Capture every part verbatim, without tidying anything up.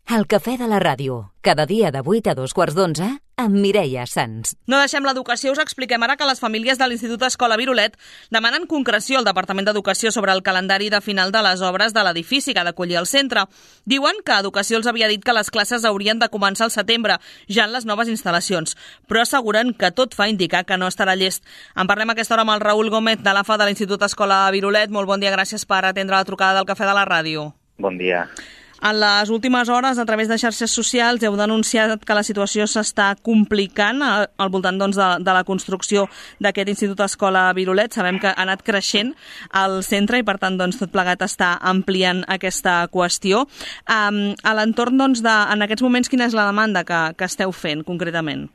El cafè de la ràdio, cada dia de vuit a dos quarts d'onze, amb Mireia Sans. No deixem l'educació, us expliquem ara que les famílies de l'Institut Escola Virolet demanen concreció al Departament d'Educació sobre el calendari de final de les obres de l'edifici que ha d'acollir el centre. Diuen que Educació els havia dit que les classes haurien de començar al setembre, ja en les noves instal·lacions, però asseguren que tot fa indicar que no estarà llest. En parlem a aquesta hora amb el Raül Gómez de l'A F A de l'Institut Escola Virolet. Molt bon dia, gràcies per atendre la trucada del cafè de la ràdio. Bon dia. En les últimes hores, a través de xarxes socials, heu denunciat que la situació s'està complicant al voltant doncs, de, de la construcció d'aquest Institut Escola Virolet. Sabem que ha anat creixent el centre i, per tant, doncs, tot plegat està ampliant aquesta qüestió. Um, a l'entorn, doncs, de, en aquests moments, quina és la demanda que, que esteu fent, concretament?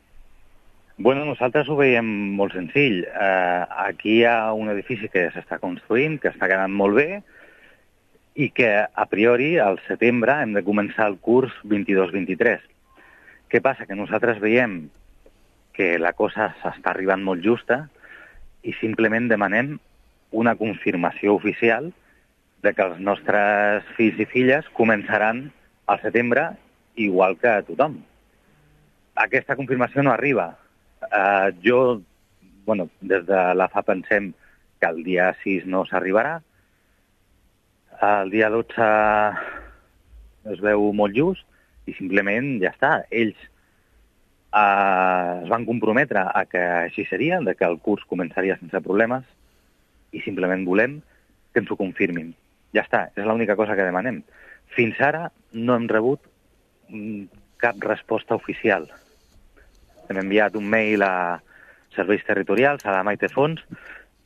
Bueno, nosaltres ho veiem molt senzill. Uh, aquí hi ha un edifici que s'està construint, que està quedant molt bé, i que, a priori, al setembre hem de començar el curs vint-i-dos vint-i-tres. Què passa? Que nosaltres veiem que la cosa s'està arribant molt justa i simplement demanem una confirmació oficial de que els nostres fills i filles començaran al setembre igual que tothom. Aquesta confirmació no arriba. Uh, jo, bueno, des de l'A F A pensem que el dia sis no s'arribarà. El dia dotze es veu molt just i simplement ja està. Ells eh, es van comprometre a que així seria, de que el curs començaria sense problemes i simplement volem que ens ho confirmin. Ja està, és l'única cosa que demanem. Fins ara no hem rebut cap resposta oficial. Hem enviat un mail a serveis territorials, a la Maite Fons.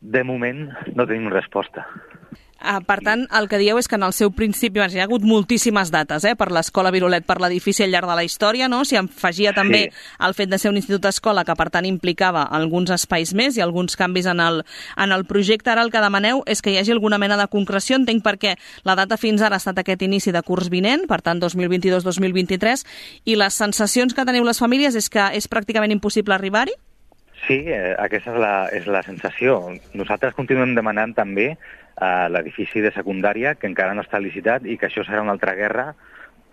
De moment no tenim resposta. Uh, per tant, el que dieu és que en el seu principi hi ha hagut moltíssimes dates eh, per l'Escola Virolet, per l'edifici al llarg de la història, no? S'hi afegia també sí. el fet de ser un institut d'escola que, per tant, implicava alguns espais més i alguns canvis en el, en el projecte. Ara el que demaneu és que hi hagi alguna mena de concreció, entenc perquè la data fins ara ha estat aquest inici de curs vinent, per tant, dos mil vint-i-dos dos mil vint-i-tres, i les sensacions que teniu les famílies és que és pràcticament impossible arribar-hi? Sí, eh, aquesta és la, és la sensació. Nosaltres continuem demanant també a l'edifici de secundària, que encara no està licitat i que això serà una altra guerra,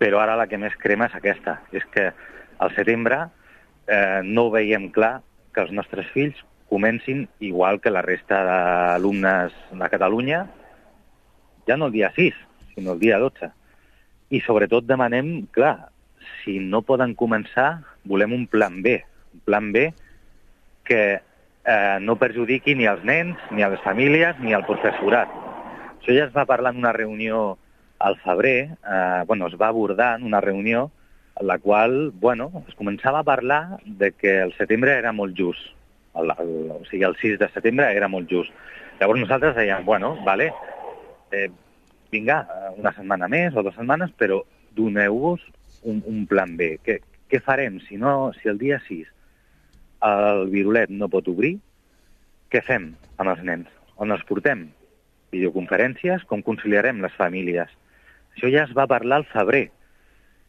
però ara la que més crema és aquesta. És que al setembre eh, no veiem clar que els nostres fills comencin igual que la resta d'alumnes de Catalunya, ja no el dia sis, sinó el dia dotze. I sobretot demanem, clar, si no poden començar, volem un plan B. Un plan B que eh, no perjudiqui ni als nens, ni a les famílies, ni al professorat. Això ja es va parlar en una reunió al febrer, eh, bueno, es va abordar en una reunió en la qual, bueno, es començava a parlar de que el setembre era molt just. El, el, o sigui, el sis de setembre era molt just. Llavors nosaltres dèiem, bueno, vale, eh, vinga, una setmana més o dues setmanes, però doneu-vos un, un plan B. Què, què farem si, no, si el dia sis el Virolet no pot obrir? Què fem amb els nens? On els portem? Videoconferències? Com conciliarem les famílies? Això ja es va parlar al febrer.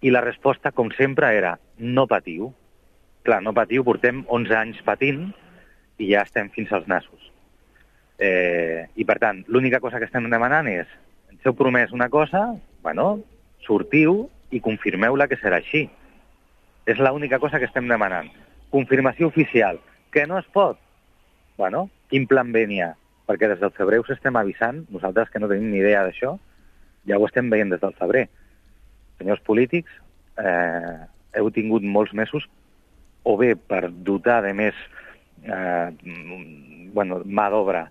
I la resposta, com sempre, era no patiu. Clar, no patiu, portem onze anys patint i ja estem fins als nassos. Eh, I, per tant, l'única cosa que estem demanant és ens heu promès una cosa, bueno, sortiu i confirmeu-la que serà així. És l'única cosa que estem demanant. Confirmació oficial. Que no es pot? Bueno, quin plan B n'hi ha? Perquè des del febrer us estem avisant, nosaltres que no tenim ni idea d'això, ja ho estem veient des del febrer. Senyors polítics, eh, heu tingut molts mesos o bé per dotar de més eh, bueno, mà d'obra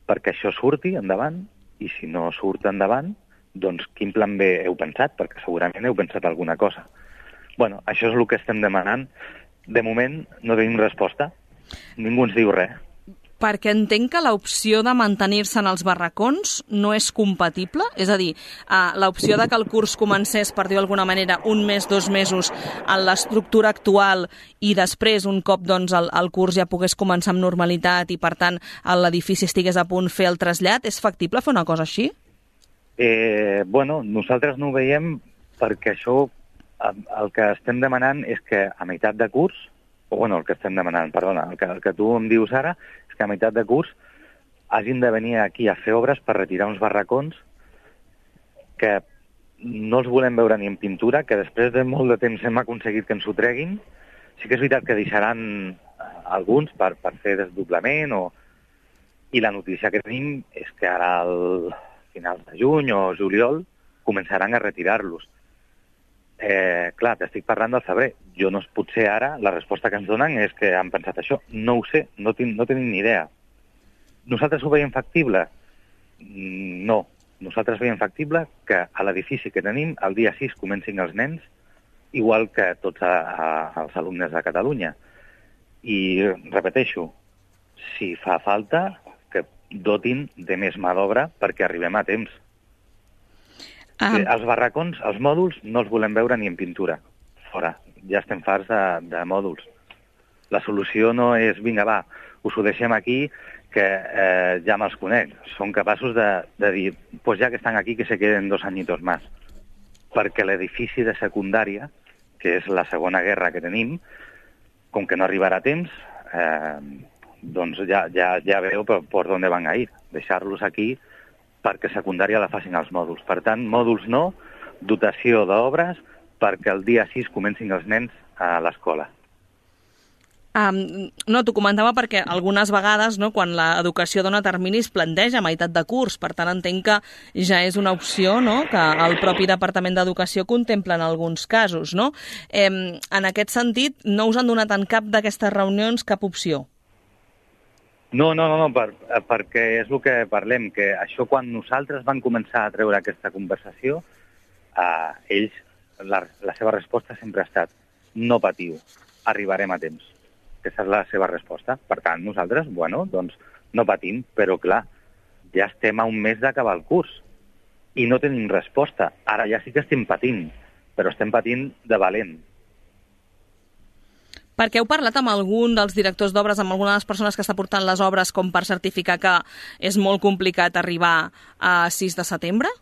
perquè això surti endavant, i si no surt endavant, doncs quin plan B heu pensat? Perquè segurament heu pensat alguna cosa. Bueno, això és el que estem demanant. De moment no tenim resposta. Ningú ens diu res. Perquè entenc que l'opció de mantenir-se en els barracons no és compatible? És a dir, uh, l'opció de que el curs comencés, per dir d'alguna manera, un mes, dos mesos en l'estructura actual i després, un cop doncs, el, el curs ja pogués començar amb normalitat i, per tant, l'edifici estigués a punt fer el trasllat, és factible fer una cosa així? Eh, bueno, nosaltres no ho veiem perquè això, el que estem demanant és que a meitat de curs, o bueno, el que estem demanant, perdona, el que, el que tu em dius ara, és que a meitat de curs hagin de venir aquí a fer obres per retirar uns barracons que no els volem veure ni en pintura, que després de molt de temps hem aconseguit que ens ho treguin. Sí que és veritat que deixaran alguns per, per fer desdoblament, o... i la notícia que tenim és que ara al finals de juny o juliol començaran a retirar-los. Eh, clar, t'estic parlant del febrer. Jo no, potser ara la resposta que ens donen és que han pensat això. No ho sé, no, tin, no tenim ni idea. Nosaltres ho veiem factible? No. Nosaltres veiem factible que a l'edifici que tenim el dia sis comencin els nens, igual que tots a, a, els alumnes de Catalunya. I repeteixo, si fa falta, que dotin de més mà d'obra perquè arribem a temps. Ah. Els barracons, els mòduls, no els volem veure ni en pintura. Fora. Ja estem farts de, de mòduls. La solució no és, vinga, va, us ho deixem aquí, que eh, ja me'ls conec. Són capaços de, de dir, pues ja que estan aquí, que se queden dos añitos más. Perquè l'edifici de secundària, que és la segona guerra que tenim, com que no arribarà a temps, eh, doncs ja, ja, ja veu per, per on van a ir. Deixar-los aquí perquè secundària la facin els mòduls. Per tant, mòduls no, dotació d'obres perquè el dia sis comencin els nens a l'escola. Um, no, t'ho comentava perquè algunes vegades, no, quan l'educació dona terminis, planteja a meitat de curs. Per tant, entenc que ja és una opció, no?, que el propi Departament d'Educació contempla en alguns casos, no? Eh, en aquest sentit, no us han donat en cap d'aquestes reunions cap opció? No, no, no, no per, perquè és el que parlem, que això quan nosaltres vam començar a treure aquesta conversació, eh, ells, la, la seva resposta sempre ha estat no patiu, arribarem a temps. Aquesta és la seva resposta. Per tant, nosaltres, bueno, doncs no patim, però clar, ja estem a un mes d'acabar el curs i no tenim resposta. Ara ja sí que estem patint, però estem patint de valent. Perquè heu parlat amb algun dels directors d'obres, amb alguna de les persones que està portant les obres, com per certificar que és molt complicat arribar a sis de setembre?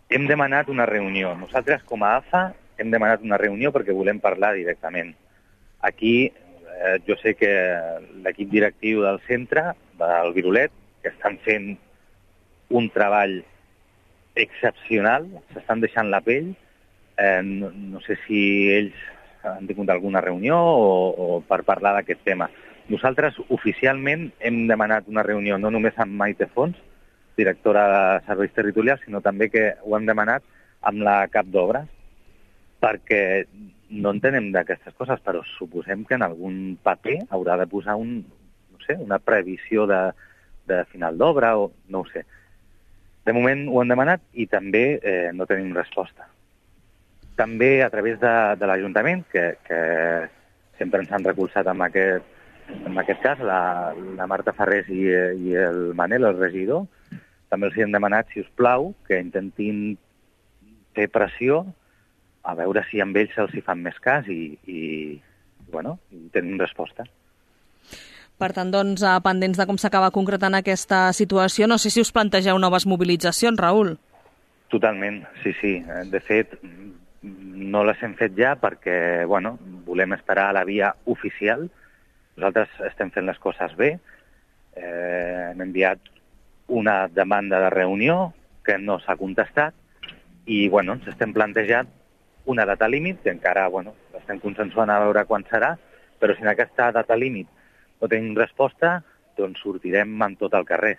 Hem demanat una reunió. Nosaltres, com a A F A, hem demanat una reunió perquè volem parlar directament. Aquí, eh, jo sé que l'equip directiu del centre, del Virolet, que estan fent un treball excepcional, s'estan deixant la pell. Eh, no, no sé si ells han tingut alguna reunió o, o per parlar d'aquest tema. Nosaltres oficialment hem demanat una reunió no només amb Maite Fons, directora de Serveis Territorials, sinó també que ho hem demanat amb la cap d'obres, perquè no entenem d'aquestes coses, però suposem que en algun paper haurà de posar un, no sé, una previsió de, de final d'obra, o no ho sé. De moment ho hem demanat i també eh, no tenim resposta. També a través de, de l'Ajuntament, que, que sempre ens han recolzat en aquest, en aquest cas, la, la Marta Farrés i, i el Manel, el regidor, també els hem demanat, si us plau, que intentin fer pressió a veure si amb ells se'ls hi fan més cas i, i, bueno, i tenim resposta. Per tant, doncs, pendents de com s'acaba concretant aquesta situació, no sé si us plantegeu noves mobilitzacions, Raül. Totalment, sí, sí. De fet, no les hem fet ja perquè, bueno, volem esperar a la via oficial. Nosaltres estem fent les coses bé. Eh, hem enviat una demanda de reunió que no s'ha contestat i, bueno, ens estem plantejant una data límit, que encara, bueno, estem consensuant a veure quan serà, però si en aquesta data límit no tenim resposta, doncs sortirem amb tot el carrer.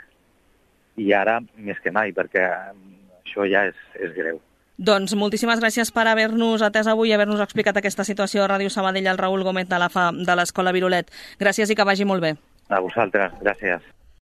I ara, més que mai, perquè això ja és, és greu. Doncs moltíssimes gràcies per haver-nos atès avui i haver-nos explicat aquesta situació a Ràdio Sabadell, al Raül Gómez de l'A F A de l'Escola Virolet. Gràcies i que vagi molt bé. A vosaltres, gràcies.